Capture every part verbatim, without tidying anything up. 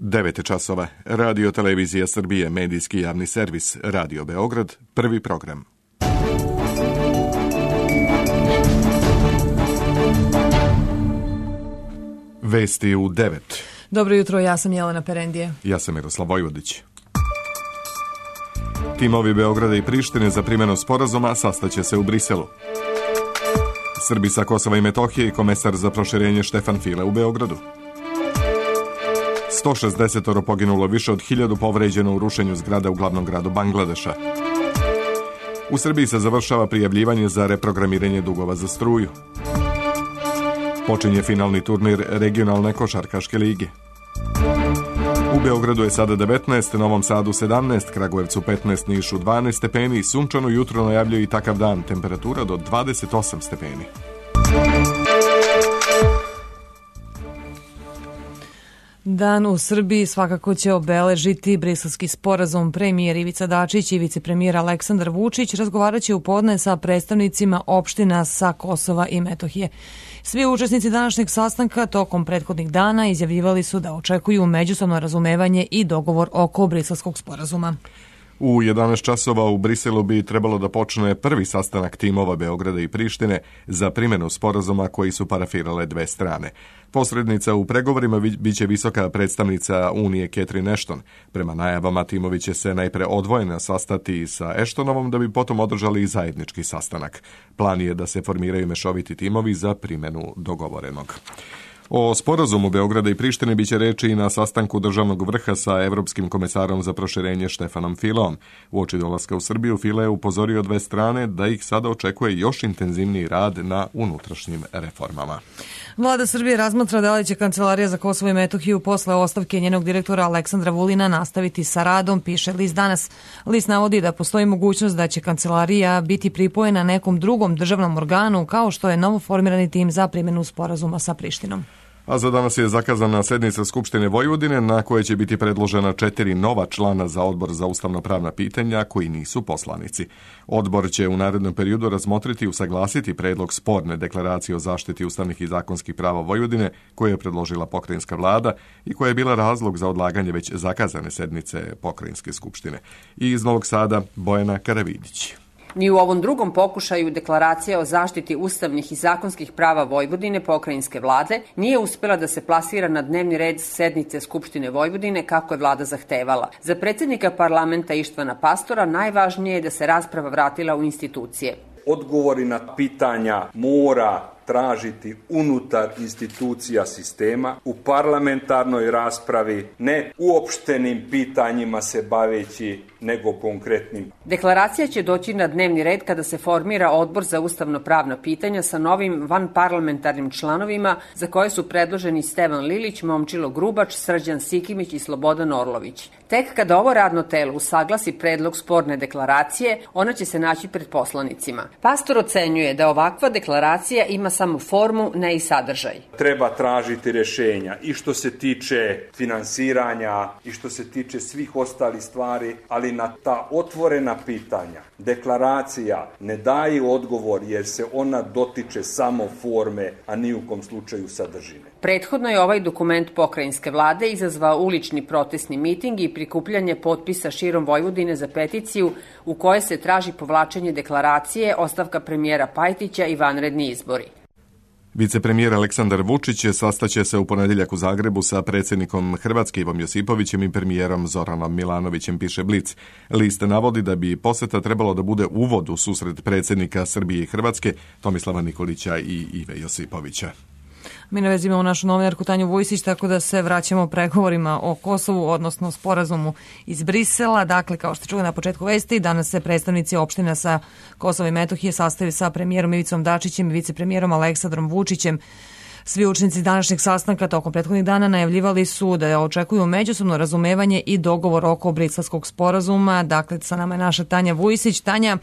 devet časova. Radio Televizija Srbije, medijski javni servis, Radio Beograd, prvi program. Vesti u devet. Dobro jutro, ja sam Jelena Perendije. Ja sam Miroslav Vojvodić. Timovi Beograda i Prištine za primjenu sporazuma sastaće se u Briselu. Srbi sa Kosova i Metohije i komesar za proširenje Štefan File u Beogradu. sto šezdeset poginulo, više od hiljadu povređeno u rušenju zgrada u glavnom gradu Bangladeša. U Srbiji se završava prijavljivanje za reprogramiranje dugova za struju. Počinje finalni turnir regionalne košarkaške lige. U Beogradu je sada devetnaest, Novom Sadu sedamnaest, Kragujevcu petnaest, Nišu dvanaest stepeni, sunčano jutro najavljuje i takav dan, temperatura do dvadeset osam stepeni. Dan u Srbiji svakako će obeležiti Briselski sporazum. Premijer Ivica Dačić i vicepremijer Aleksandar Vučić razgovarat će u podne sa predstavnicima opština sa Kosova i Metohije. Svi učesnici današnjeg sastanka tokom prethodnih dana izjavljivali su da očekuju međusobno razumevanje i dogovor oko Briselskog sporazuma. U jedanaest časova u Briselu bi trebalo da počne prvi sastanak timova Beograda i Prištine za primjenu sporazuma koji su parafirale dve strane. Posrednica u pregovorima biće visoka predstavnica Unije Catherine Ashton. Prema najavama timovi će se najpre odvojeno sastati sa Ashtonovom da bi potom održali i zajednički sastanak. Plan je da se formiraju mešoviti timovi za primjenu dogovorenog. O sporazumu Beograda i Prištine biće reči i na sastanku državnog vrha sa Evropskim komesarom za proširenje Štefanom Fileom. Uoči dolaska u Srbiju File je upozorio dve strane da ih sada očekuje još intenzivniji rad na unutrašnjim reformama. Vlada Srbije razmatra da li će Kancelarija za Kosovo i Metohiju posle ostavke njenog direktora Aleksandra Vulina nastaviti sa radom, piše List danas. List navodi da postoji mogućnost da će Kancelarija biti pripojena nekom drugom državnom organu, kao što je novoformirani tim za primjenu sporazuma sa Prištinom. A za danas je zakazana sednica Skupštine Vojvodine na kojoj će biti predložena četiri nova člana za odbor za ustavno-pravna pitanja koji nisu poslanici. Odbor će u narednom periodu razmotriti i usaglasiti predlog sporne deklaracije o zaštiti ustavnih i zakonskih prava Vojvodine koje je predložila pokrajinska vlada i koja je bila razlog za odlaganje već zakazane sednice pokrajinske skupštine. I iz Novog Sada Bojana Karavidić. Ni u ovom drugom pokušaju deklaracija o zaštiti ustavnih i zakonskih prava Vojvodine pokrajinske vlade nije uspela da se plasira na dnevni red sednice Skupštine Vojvodine kako je vlada zahtevala. Za predsjednika parlamenta Ištvana Pastora najvažnije je da se rasprava vratila u institucije. Odgovori na pitanja mora tražiti unutar institucija sistema, u parlamentarnoj raspravi, ne uopštenim pitanjima se baveći, nego konkretnim. Deklaracija će doći na dnevni red kada se formira odbor za ustavno-pravna pitanja sa novim vanparlamentarnim članovima za koje su predloženi Stevan Lilić, Momčilo Grubač, Srđan Sikimić i Slobodan Orlović. Tek kada ovo radno telo usaglasi predlog sporne deklaracije, ona će se naći pred poslanicima. Pastor ocenjuje da ovakva deklaracija ima samo formu, ne i sadržaj. Treba tražiti rješenja i što se tiče finansiranja i što se tiče svih ostalih stvari, ali na ta otvorena pitanja deklaracija ne daje odgovor jer se ona dotiče samo forme, a ni u kom slučaju sadržine. Prethodno je ovaj dokument pokrajinske vlade izazvao ulični protestni miting i prikupljanje potpisa širom Vojvodine za peticiju u kojoj se traži povlačenje deklaracije, ostavka premijera Pajtića i vanredni izbori. Vicepremijer Aleksandar Vučić sastaće se u ponedjeljak u Zagrebu sa predsjednikom Hrvatske Ivom Josipovićem i premijerom Zoranom Milanovićem, piše Blic. List navodi da bi posjeta trebalo da bude uvod u susret predsjednika Srbije i Hrvatske Tomislava Nikolića i Ive Josipovića. Mi na vezi imamo našu novinarku Tanju Vujsić, tako da se vraćamo pregovorima o Kosovu, odnosno sporazumu iz Brisela. Dakle, kao što čuli na početku vesti, danas se predstavnici opština sa Kosova i Metohije sastaju sa premijerom Ivicom Dačićem i vicepremijerom Aleksandrom Vučićem. Svi učesnici današnjeg sastanka tokom prethodnih dana najavljivali su da očekuju međusobno razumevanje i dogovor oko Briselskog sporazuma. Dakle, sa nama je naša Tanja Vujsić. Tanja,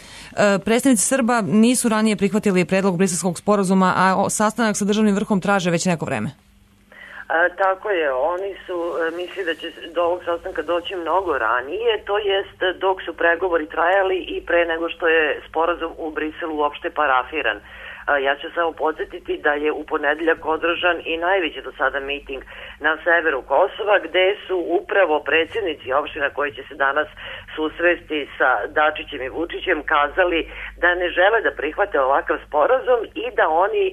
predstavnici Srba nisu ranije prihvatili predlog Briselskog sporazuma, a sastanak sa državnim vrhom traže već neko vreme. A, tako je, oni su misli da će do ovog sastanka doći mnogo ranije, to jest dok su pregovori trajali i pre nego što je sporazum u Briselu uopšte parafiran. Ja ću samo podsjetiti da je u ponedeljak održan i najveći do sada miting na severu Kosova, gde su upravo predsjednici opština koji će se danas susresti sa Dačićem i Vučićem kazali da ne žele da prihvate ovakav sporazum i da oni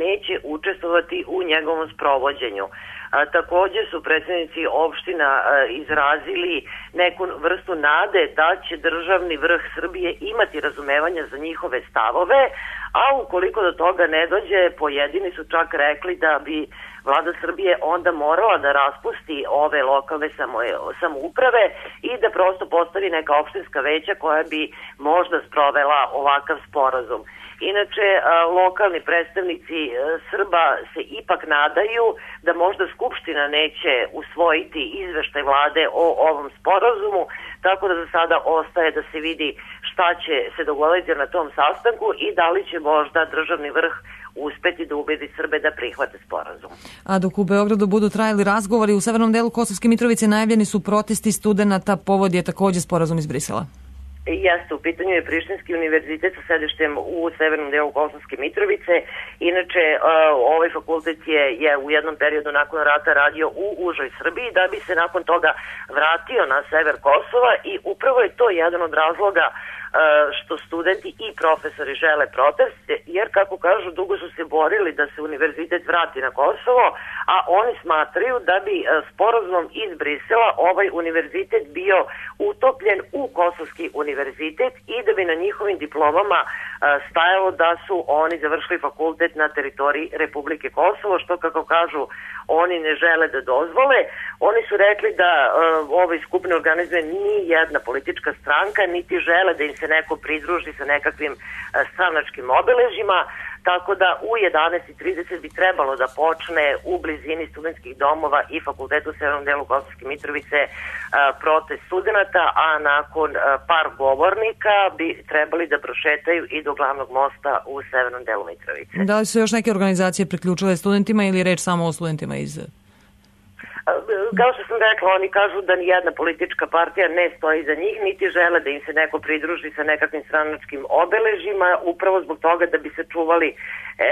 neće učestvovati u njegovom sprovođenju. A, takođe su predsjednici opština a, izrazili neku vrstu nade da će državni vrh Srbije imati razumevanja za njihove stavove, a ukoliko do toga ne dođe, pojedini su čak rekli da bi vlada Srbije onda morala da raspusti ove lokalne samouprave i da prosto postavi neka opštinska veća koja bi možda sprovela ovakav sporazum. Inače, lokalni predstavnici Srba se ipak nadaju da možda Skupština neće usvojiti izveštaj vlade o ovom sporazumu, tako da za sada ostaje da se vidi šta će se dogoditi na tom sastanku i da li će možda državni vrh uspeti da ubedi Srbe da prihvate sporazum. A dok u Beogradu budu trajali razgovori, u severnom delu Kosovske Mitrovice najavljeni su protesti studenata, povod je takođe sporazum iz Brisela. Jeste, u pitanju je Prištinski univerzitet sa sedištem u severnom delu Kosovske Mitrovice. Inače, ovaj fakultet je, je u jednom periodu nakon rata radio u užoj Srbiji, da bi se nakon toga vratio na sever Kosova i upravo je to jedan od razloga što studenti i profesori žele protest, jer kako kažu, dugo su se borili da se univerzitet vrati na Kosovo, a oni smatraju da bi sporazumom iz Brisela ovaj univerzitet bio utopljen u Kosovski univerzitet i da bi na njihovim diplomama stajalo da su oni završili fakultet na teritoriji Republike Kosovo, što kako kažu oni ne žele da dozvole. Oni su rekli da uh, ovaj skup ne organizuje ni jedna politička stranka, niti žele da im se neko pridruži sa nekakvim uh, stranačkim obeležima, tako da u jedanaest i trideset bi trebalo da počne u blizini studentskih domova i fakultetu u severnom delu Kosovske Mitrovice uh, protest studenata, a nakon uh, par govornika bi trebali da prošetaju i do glavnog mosta u severnom delu Mitrovice. Da li su još neke organizacije priključile studentima ili je reč samo o studentima iz... Kao što sam rekla, oni kažu da nijedna politička partija ne stoji za njih, niti žele da im se neko pridruži sa nekakvim stranačkim obeležima, upravo zbog toga da bi se čuvali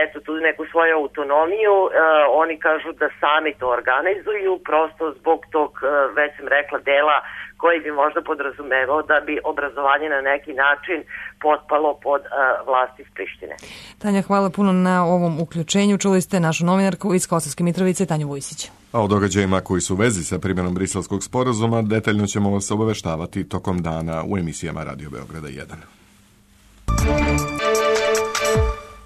eto, tu neku svoju autonomiju. E, oni kažu da sami to organizuju, prosto zbog tog, već sam rekla, dela koji bi možda podrazumevao da bi obrazovanje na neki način potpalo pod uh, vlast iz Prištine. Tanja, hvala puno na ovom uključenju. Čuli ste našu novinarku iz Kosovske Mitrovice, Tanju Vujsić. A o događajima koji su u vezi sa primjenom briselskog sporazuma detaljno ćemo vas obaveštavati tokom dana u emisijama Radio Beograda jedan.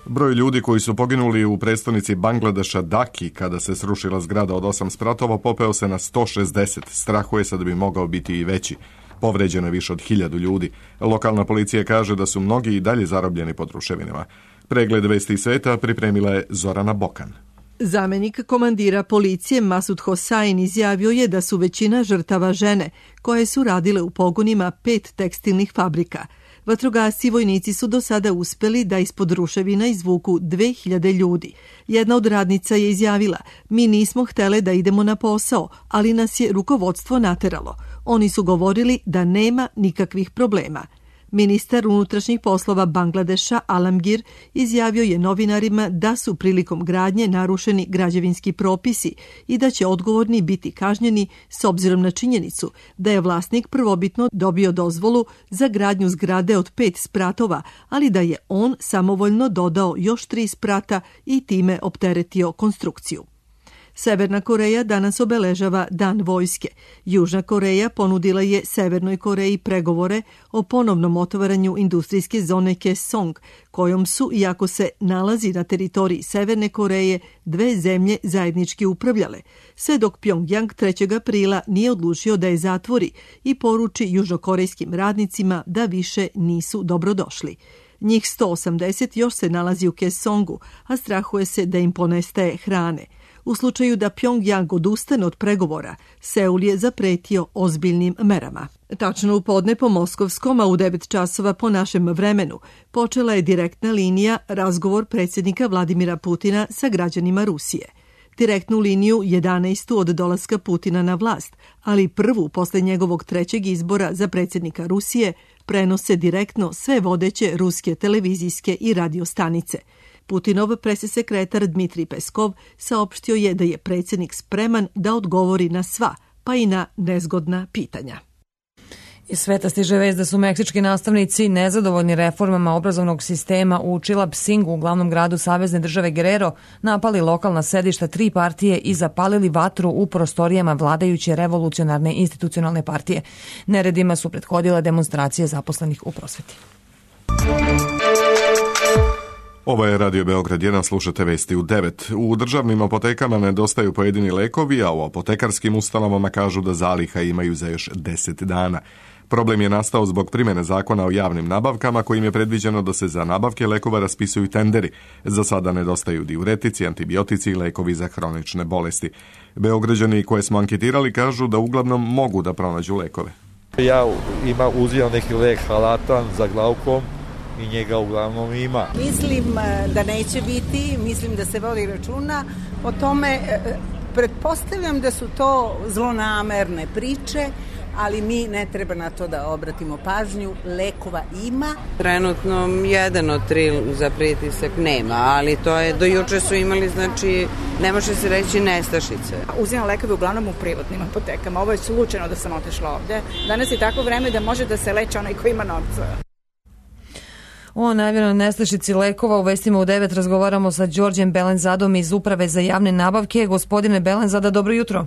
Broj ljudi koji su poginuli u prestonici Bangladeša Daki kada se srušila zgrada od osam spratova popeo se na sto šezdeset. Strahuje se da bi mogao biti i veći. Povređeno je više od hiljadu ljudi. Lokalna policija kaže da su mnogi i dalje zarobljeni pod ruševinama. Pregled vesti sveta pripremila je Zorana Bokan. Zamenik komandira policije Masud Hosain izjavio je da su većina žrtava žene koje su radile u pogonima pet tekstilnih fabrika. Vatrogasci i vojnici su do sada uspeli da ispod ruševina izvuku dve hiljade ljudi. Jedna od radnica je izjavila: "Mi nismo htele da idemo na posao, ali nas je rukovodstvo nateralo. Oni su govorili da nema nikakvih problema." Ministar unutrašnjih poslova Bangladeša Alamgir izjavio je novinarima da su prilikom gradnje narušeni građevinski propisi i da će odgovorni biti kažnjeni s obzirom na činjenicu da je vlasnik prvobitno dobio dozvolu za gradnju zgrade od pet spratova, ali da je on samovoljno dodao još tri sprata i time opteretio konstrukciju. Severna Koreja danas obeležava Dan vojske. Južna Koreja ponudila je Severnoj Koreji pregovore o ponovnom otvaranju industrijske zone Kaesong, kojom su, iako se nalazi na teritoriji Severne Koreje, dve zemlje zajednički upravljale, sve dok Pjongjang trećeg aprila nije odlučio da je zatvori i poruči južnokorejskim radnicima da više nisu dobrodošli. Njih sto osamdeset još se nalazi u Kaesongu, a strahuje se da im ponestaje hrane. U slučaju da Pjongjang odustane od pregovora, Seul je zapretio ozbiljnim merama. Tačno u podne po moskovskom, a u devet časova po našem vremenu, počela je direktna linija razgovor predsjednika Vladimira Putina sa građanima Rusije. Direktnu liniju jedanaestu od dolaska Putina na vlast, ali prvu posle njegovog trećeg izbora za predsjednika Rusije, prenose direktno sve vodeće ruske televizijske i radio stanice. Putinov pressekretar Dmitrij Peskov saopštio je da je predsjednik spreman da odgovori na sva, pa i na nezgodna pitanja. Iz sveta stiže vest da su meksički nastavnici nezadovoljni reformama obrazovnog sistema u Chilapsingu, u glavnom gradu savezne države Guerrero, napali lokalna sedišta tri partije i zapalili vatru u prostorijama vladajuće revolucionarne institucionalne partije. Neredima su prethodile demonstracije zaposlenih u prosveti. Ovo je Radio Beograd jedan, slušate vesti u devet. U državnim apotekama nedostaju pojedini lekovi, a u apotekarskim ustanovama kažu da zaliha imaju za još deset dana. Problem je nastao zbog primjene zakona o javnim nabavkama, kojim je predviđeno da se za nabavke lekova raspisuju tenderi. Za sada nedostaju diuretici, antibiotici i lekovi za hronične bolesti. Beograđani koje smo anketirali kažu da uglavnom mogu da pronađu lekove. Ja ima, uzimam neki lek halatan za glaukom i njega uglavnom ima. Mislim da neće biti, mislim da se vodi računa o tome. Pretpostavljam da su to zlonamerne priče, ali mi ne treba na to da obratimo pažnju. Lekova ima. Trenutno jedan od tri za pritisak nema, ali to je, do juče su imali, znači, ne može se reći nestašice. Uzimam lekove uglavnom u privatnim apotekama. Ovo je slučajno da sam otišla ovde. Danas je tako vreme da može da se leče onaj ko ima novca. O najavljenoj nestašici lekova u vestima u devet razgovaramo sa Đorđem Belenzadom iz Uprave za javne nabavke. Gospodine Belenzada, dobro jutro.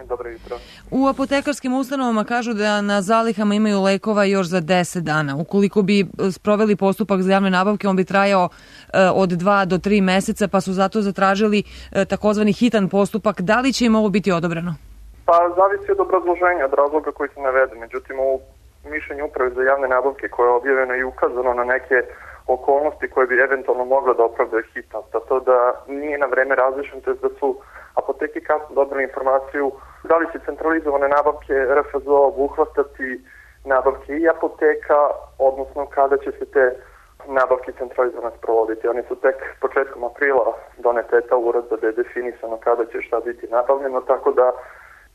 Dobro jutro. U apotekarskim ustanovama kažu da na zalihama imaju lekova još za deset dana. Ukoliko bi sproveli postupak za javne nabavke, on bi trajao e, od dva do tri meseca, pa su zato zatražili e, takozvani hitan postupak. Da li će im ovo biti odobreno? Pa zavisi od obrazloženja, od razloga koji se navede. Međutim, u mišljenju Uprave za javne nabavke koje je objavljeno i ukazano na neke okolnosti koje bi eventualno mogle da opravdaju hitnost, a to da nije na vreme različen, to je da su apoteke kasno dobili informaciju da li će centralizovane nabavke R F Z O obuhvatati nabavke i apoteka, odnosno kada će se te nabavke centralizovane sprovoditi. Oni su tek početkom aprila donete ta uredba da je definisano kada će šta biti nabavljeno, tako da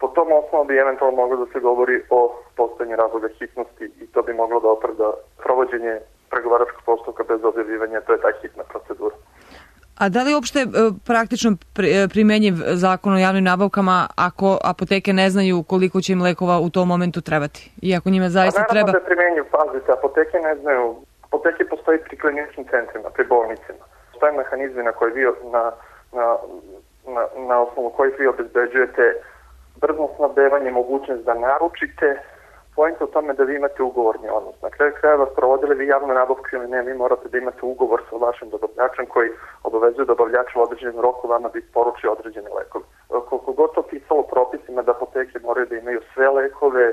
po tom osnovu bi eventualno moglo da se govori o postojanju razloga hitnosti i to bi moglo da opravda provođenje pregovaračkog postupka bez objavljivanja, to je ta hitna procedura. A da li je uopšte praktično primenjiv zakon o javnim nabavkama ako apoteke ne znaju koliko će im lekova u tom momentu trebati? I ako njima zaista naravno treba... Naravno da je primenjiv, pazite, apoteke ne znaju, apoteke postoji pri kliničkim centrima, pri bolnicima. Postoje mehanizmi na koji vi, na, na, na, na osnovu kojih vi obezbeđujete brzo snabdevanje, mogućnost da naručite. Pojent u tome da vi imate ugovorni odnos. Na kraju krajeva provodili vi javnu nabavku ili ne, vi morate da imate ugovor sa vašim dobavljačem koji obavezuje dobavljača u određenom roku vama da isporuči određene lekove. Koliko god to pisalo propisima da apoteke moraju da imaju sve lekove,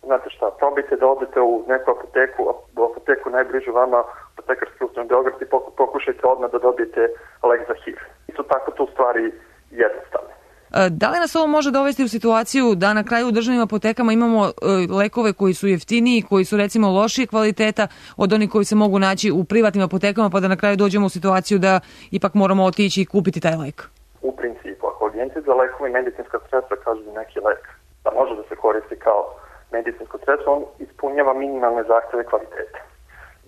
znate šta, probajte da odete u neku apoteku, u apoteku najbližu vama, apotekarski ustanov Beograd i pokušajte odmah da dobijete lek za H I V. I su tako tu stvari jednostavne. Da li nas ovo može dovesti u situaciju da na kraju u državnim apotekama imamo lekove koji su jeftiniji, koji su recimo lošije kvaliteta od onih koji se mogu naći u privatnim apotekama, pa da na kraju dođemo u situaciju da ipak moramo otići i kupiti taj lek? U principu, ako agencije za lekove i medicinska sredstva kažu da neki lek da može da se koristi kao medicinsko sredstvo, on ispunjava minimalne zahteve kvaliteta.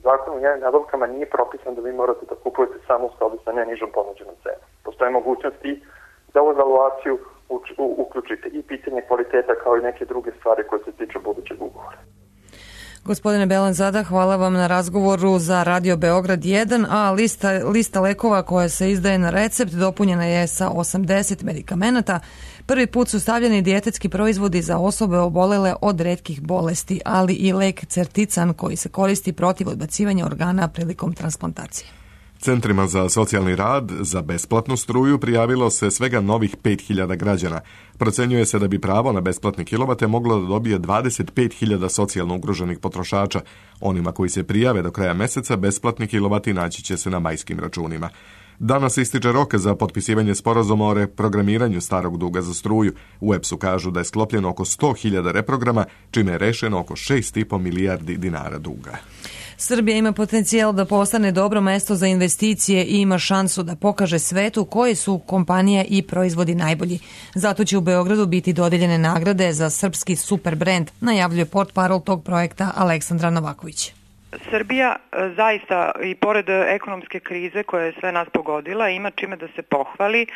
Zakon o javnim nabavkama nije propisan da vi morate da kupujete samo u skladu sa najnižom ponuđenom cenom. Postoje mogućnosti da u evaluaciju uključite i pitanje kvaliteta kao i neke druge stvari koje se tiču budućeg ugovora. Gospodine Belenzada, hvala vam na razgovoru za Radio Beograd jedan, a lista, lista lekova koja se izdaje na recept dopunjena je sa osamdeset medikamenata. Prvi put su stavljeni dijetetski proizvodi za osobe obolele od retkih bolesti, ali i lek Certican koji se koristi protiv odbacivanja organa prilikom transplantacije. Centrima za socijalni rad za besplatnu struju prijavilo se svega novih pet hiljada građana. Procenjuje se da bi pravo na besplatne kilovate moglo da dobije dvadeset pet hiljada socijalno ugroženih potrošača. Onima koji se prijave do kraja meseca besplatni kilovati naći će se na majskim računima. Danas ističe rok za potpisivanje sporazuma o reprogramiranju starog duga za struju. U E P S-u kažu da je sklopljeno oko sto hiljada reprograma, čime je rešeno oko šest i po milijardi dinara duga. Srbija ima potencijal da postane dobro mesto za investicije i ima šansu da pokaže svetu koje su kompanije i proizvodi najbolji. Zato će u Beogradu biti dodeljene nagrade za srpski super brend, najavljuje portparol tog projekta Aleksandra Novaković. Srbija zaista i pored ekonomske krize koja je sve nas pogodila ima čime da se pohvali,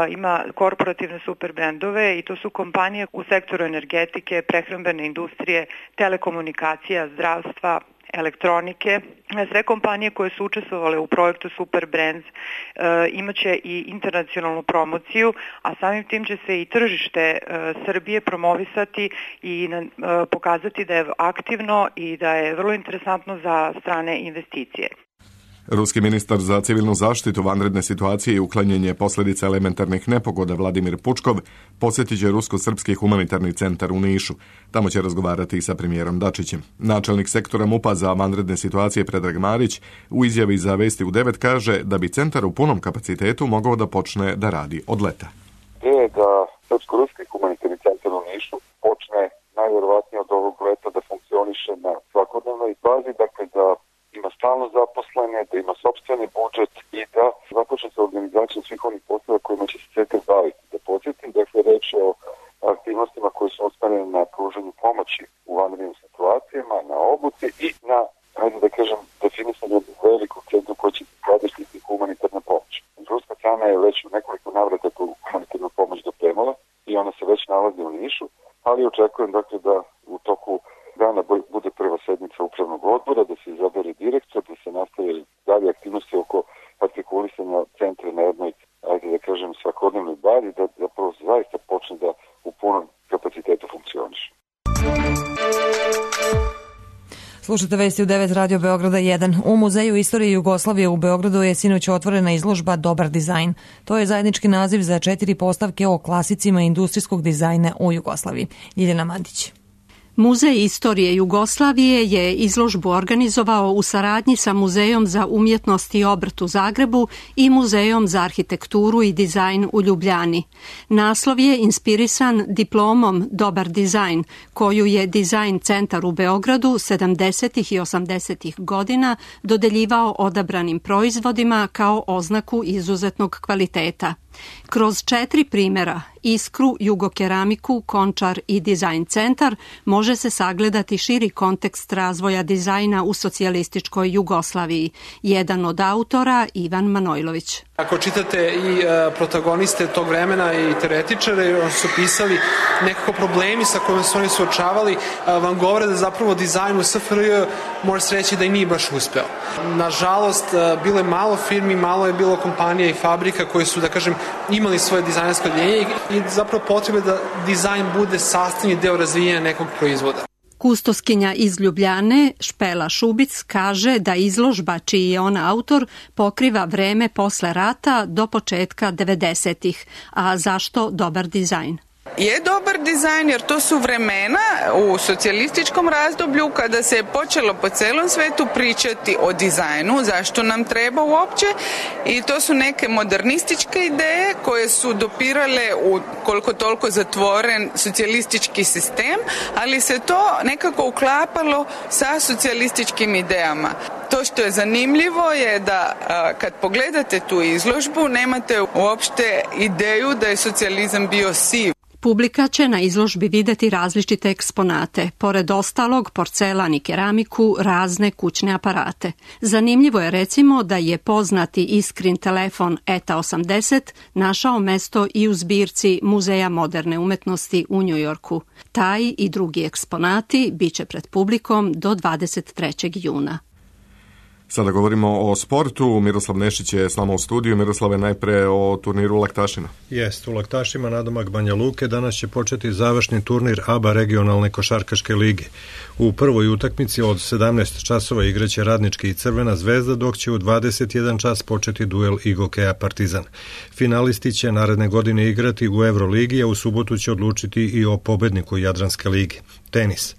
ima korporativne super brendove i to su kompanije u sektoru energetike, prehrambene industrije, telekomunikacija, zdravstva, elektronike. Sve kompanije koje su učestvovale u projektu Super Brands e, imaće i internacionalnu promociju, a samim tim će se i tržište e, Srbije promovisati i e, pokazati da je aktivno i da je vrlo interesantno za strane investicije. Ruski ministar za civilnu zaštitu, vanredne situacije i uklanjanje posljedica elementarnih nepogoda Vladimir Pučkov posjetit će Rusko-srpski humanitarni centar u Nišu. Tamo će razgovarati i sa premijerom Dačićem. Načelnik sektora MUP-a za vanredne situacije Predrag Marić u izjavi za Vesti u devet kaže da bi centar u punom kapacitetu mogao da počne da radi od leta. Je da Srpsko-ruski humanitarni centar u Nišu počne najvjerovatnije od ovog leta da funkcioniše na svakodnevnoj bazi, dakle da ima stalno zaposlene, da ima sopstveni budžet i da započne sa organizacijom svih onih poslova kojima će se centar baviti. Da podsjetim, dakle, reč je o aktivnostima koje su usmerene na pružanju pomoći u vanrednim situacijama, na obuci i na, hajde da kažem, definisanju velikog centra koji će skladištiti humanitarna pomoć. Ruska strana je već u nekoliko navrata tu humanitarnu pomoć dopremala i ona se već nalazi u Nišu, ali očekujem, dakle, da u toku dana bude prva sednica upravnog odbora, da se izabere direktor, da se nastave dalje aktivnosti oko artikulisanja centra na jednoj, ajde da kažem, svakodnevnoj bazi, da zapravo zaista počne da u punom kapacitetu funkcioniše. Slušajte Vesti u devet Radio Beograda jedan. U Muzeju istorije Jugoslavije u Beogradu je sinoć otvorena izložba Dobar dizajn. To je zajednički naziv za četiri postavke o klasicima industrijskog dizajna u Jugoslaviji. Ljiljana Mandić. Muzej istorije Jugoslavije je izložbu organizovao u saradnji sa Muzejom za umjetnost i obrt u Zagrebu i Muzejom za arhitekturu i dizajn u Ljubljani. Naslov je inspirisan diplomom Dobar dizajn, koju je Dizajn centar u Beogradu sedamdesetih i osamdesetih godina dodeljivao odabranim proizvodima kao oznaku izuzetnog kvaliteta. Kroz četiri primjera, Iskru, Jugokeramiku, Končar i Dizajn centar, može se sagledati širi kontekst razvoja dizajna u socijalističkoj Jugoslaviji. Jedan od autora, Ivan Manojlović. Ako čitate i e, protagoniste tog vremena i teoretičare, oni su pisali nekako problemi sa kojima su oni suočavali, e, vam govore da zapravo dizajn u S F R J može se reći da i nije baš uspeo. Nažalost, e, bilo je malo firmi, malo je bilo kompanija i fabrika koji su, da kažem, imali svoje dizajnersko odjeljenje i zapravo potrebe da dizajn bude sastavni deo razvijenja nekog proizvoda. Kustoskinja iz Ljubljane, Špela Šubic, kaže da izložba čiji je ona autor pokriva vreme posle rata do početka devedesetih. A zašto dobar dizajn? Je dobar dizajn jer to su vremena u socijalističkom razdoblju kada se je počelo po celom svetu pričati o dizajnu, zašto nam treba uopće, i to su neke modernističke ideje koje su dopirale u koliko toliko zatvoren socijalistički sistem, ali se to nekako uklapalo sa socijalističkim idejama. To što je zanimljivo je da kad pogledate tu izložbu nemate uopšte ideju da je socijalizam bio siv. Publika će na izložbi videti različite eksponate, pored ostalog porcelan i keramiku, razne kućne aparate. Zanimljivo je recimo da je poznati Iskrin telefon E T A osamdeset našao mesto i u zbirci Muzeja moderne umetnosti u Njujorku. Taj i drugi eksponati biće pred publikom do dvadeset trećeg juna. Sada govorimo o sportu. Miroslav Nešić je s nama u studiju. Miroslave, najpre o turniru Laktašina. Jest, u Laktašima nadomak Banja Luke danas će početi završni turnir A B A regionalne košarkaške lige. U prvoj utakmici od sedamnaest časova igraće Radnički i Crvena zvezda, dok će u dvadeset jedan čas početi duel Igokeja Partizan. Finalisti će naredne godine igrati u Euroligi, a u subotu će odlučiti i o pobedniku Jadranske lige. Tenis.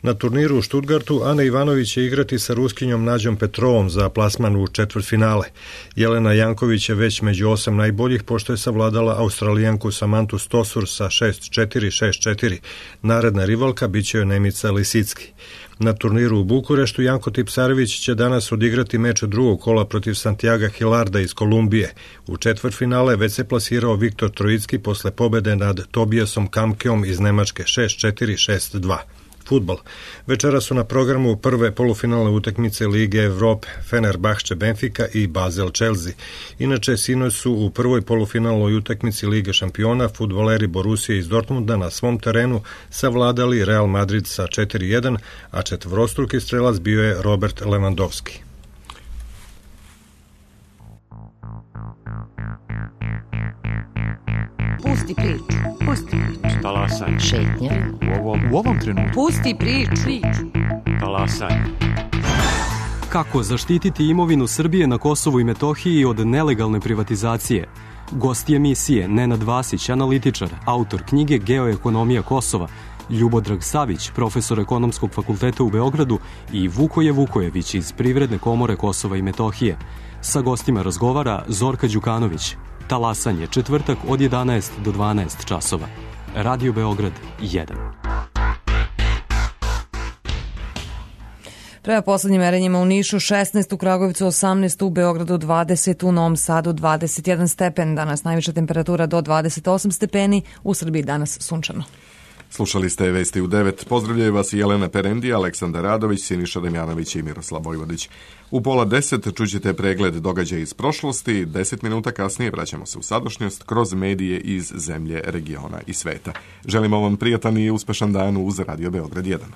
Na turniru u Štutgartu Ana Ivanović će igrati sa Ruskinjom Nađom Petrovom za plasman u četvrtfinale. Jelena Janković je već među osam najboljih, pošto je savladala Australijanku Samantu Stosur sa šest četiri šest četiri. Naredna rivalka biće joj Nemica Lisicki. Na turniru u Bukureštu Janko Tipsarević će danas odigrati meč drugog kola protiv Santiaga Hilarda iz Kolumbije. U četvrtfinale već se plasirao Viktor Trojicki posle pobede nad Tobijasom Kamkeom iz Nemačke šest četiri šest dva. Fudbal. Večera su na programu prve polufinalne utakmice Lige Evrope, Fenerbahče Benfica i Basel Chelsea. Inače, sinoć su u prvoj polufinalnoj utakmici Lige šampiona fudbaleri Borussia iz Dortmunda na svom terenu savladali Real Madrid sa četiri jedan, a četvorostruki strelac bio je Robert Lewandowski. Pusti priču, pusti priču. Talasanje. Šetnja. U ovom, u ovom trenutku. Pusti priču. Talasanje. Kako zaštititi imovinu Srbije na Kosovu i Metohiji od nelegalne privatizacije? Gosti emisije Nenad Vasić, analitičar, autor knjige Geoekonomija Kosova, Ljubodrag Savić, profesor Ekonomskog fakulteta u Beogradu i Vukoje Vukojević iz Privredne komore Kosova i Metohije. Sa gostima razgovara Zorka Đukanović. Talasanje, četvrtak od jedanaest do dvanaest časova. Radio Beograd jedan. Prema poslednjim merenjima u Nišu šesnaest, u Kragujevcu osamnaest, u Beogradu dvadeset, u Novom Sadu dvadeset jedan stepen. Danas najviša temperatura do dvadeset osam stepeni, u Srbiji danas sunčano. Slušali ste Vesti u devet. Pozdravljaju vas Jelena Perendi, Aleksandar Radović, Siniša Damjanović i Miroslav Vojvodić. U pola deset čućete pregled događaja iz prošlosti, deset minuta kasnije vraćamo se u sadašnjost kroz medije iz zemlje, regiona i sveta. Želimo vam prijatan i uspešan dan uz Radio Beograd jedan.